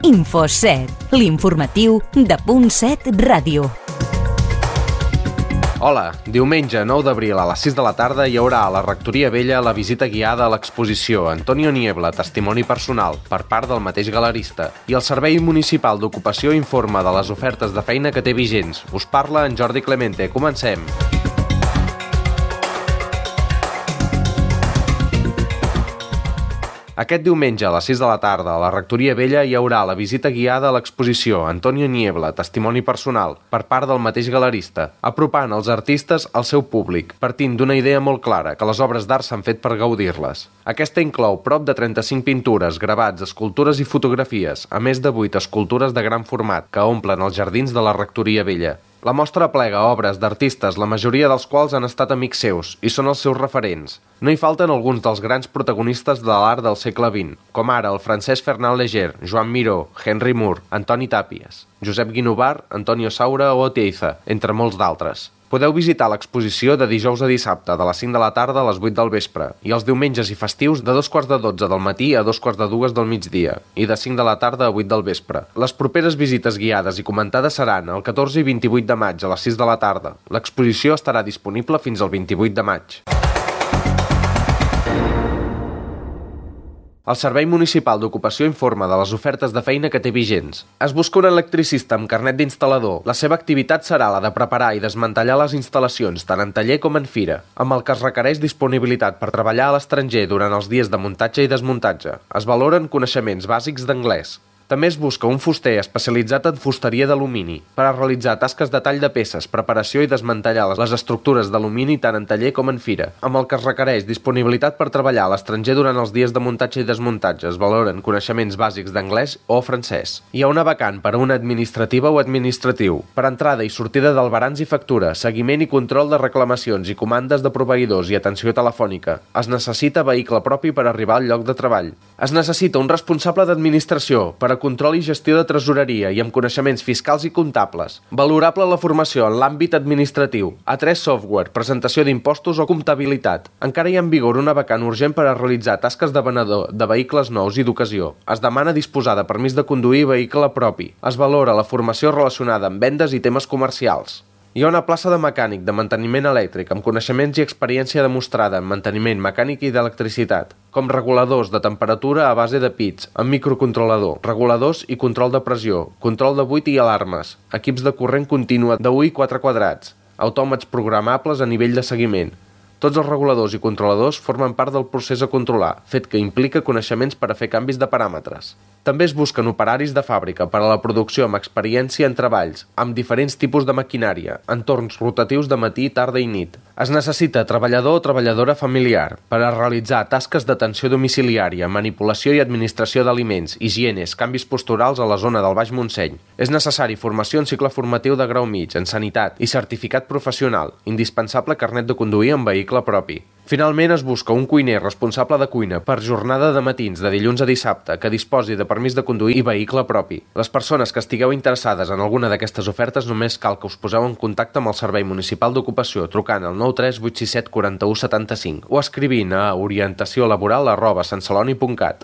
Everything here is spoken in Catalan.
Info7, l'informatiu de .7 Ràdio. Hola, diumenge 9 d'abril a les 6 de la tarda hi haurà a la Rectoria Vella la visita guiada a l'exposició Antonio Niebla, testimoni personal, per part del mateix galerista. I el Servei Municipal d'Ocupació informa de les ofertes de feina que té vigents. Us parla en Jordi Clemente. Comencem. Aquest diumenge a les 6 de la tarda a la Rectoria Vella hi haurà la visita guiada a l'exposició Antonio Niebla, testimoni personal, per part del mateix galerista, apropant els artistes al seu públic, partint d'una idea molt clara, que les obres d'art s'han fet per gaudir-les. Aquesta inclou prop de 35 pintures, gravats, escultures i fotografies, a més de 8 escultures de gran format que omplen els jardins de la Rectoria Vella. La mostra aplega obres d'artistes, la majoria dels quals han estat amics seus i són els seus referents. No hi falten alguns dels grans protagonistes de l'art del segle XX, com ara el Francesc Fernand Léger, Joan Miró, Henry Moore, Antoni Tàpies, Josep Guinovar, Antonio Saura o Oteiza, entre molts d'altres. Podeu visitar l'exposició de dijous a dissabte, de les 5 de la tarda a les 8 del vespre, i els diumenges i festius de 2:45 del matí a 2:45 del migdia, i de 5 de la tarda a 8 del vespre. Les properes visites guiades i comentades seran el 14 i 28 de maig a les 6 de la tarda. L'exposició estarà disponible fins al 28 de maig. El Servei Municipal d'Ocupació informa de les ofertes de feina que té vigents. Es busca un electricista amb carnet d'instal·lador. La seva activitat serà la de preparar i desmantellar les instal·lacions, tant en taller com en fira, amb el que es requereix disponibilitat per treballar a l'estranger durant els dies de muntatge i desmuntatge. Es valoren coneixements bàsics d'anglès. També es busca un fuster especialitzat en fusteria d'alumini per a realitzar tasques de tall de peces, preparació i desmantellar les estructures d'alumini tant en taller com en fira, amb el que es requereix disponibilitat per treballar a l'estranger durant els dies de muntatge i desmuntatge. Es valoren coneixements bàsics d'anglès o francès. Hi ha una vacant per a una administrativa o administratiu, per entrada i sortida d'albarans i factura, seguiment i control de reclamacions i comandes de proveïdors i atenció telefònica. Es necessita vehicle propi per arribar al lloc de treball. Es necessita un responsable d'administració per a control i gestió de tresoreria i amb coneixements fiscals i comptables. Valorable la formació en l'àmbit administratiu, A3 software, presentació d'impostos o comptabilitat. Encara hi ha en vigor una vacant urgent per a realitzar tasques de venedor de vehicles nous i d'ocasió. Es demana disposar de permís de conduir vehicle propi. Es valora la formació relacionada amb vendes i temes comercials. Hi ha una plaça de mecànic de manteniment elèctric amb coneixements i experiència demostrada en manteniment mecànic i d'electricitat, com reguladors de temperatura a base de pits, amb microcontrolador, reguladors i control de pressió, control de buit i alarmes, equips de corrent contínua de 1 i 4 quadrats, autòmats programables a nivell de seguiment. Tots els reguladors i controladors formen part del procés a controlar, fet que implica coneixements per a fer canvis de paràmetres. També es busquen operaris de fàbrica per a la producció amb experiència en treballs, amb diferents tipus de maquinària, entorns rotatius de matí, tarda i nit. Es necessita treballador o treballadora familiar per a realitzar tasques d'atenció domiciliària, manipulació i administració d'aliments, higienes, canvis posturals a la zona del Baix Montseny. És necessari formació en cicle formatiu de grau mig, en sanitat i certificat professional, indispensable carnet de conduir amb vehicle propi. Finalment es busca un cuiner responsable de cuina per jornada de matins de dilluns a dissabte que disposi de permís de conduir i vehicle propi. Les persones que estigueu interessades en alguna d'aquestes ofertes només cal que us poseu en contacte amb el Servei Municipal d'Ocupació trucant al 93 867 41 75 o escrivint a orientaciolaboral@santceloni.cat.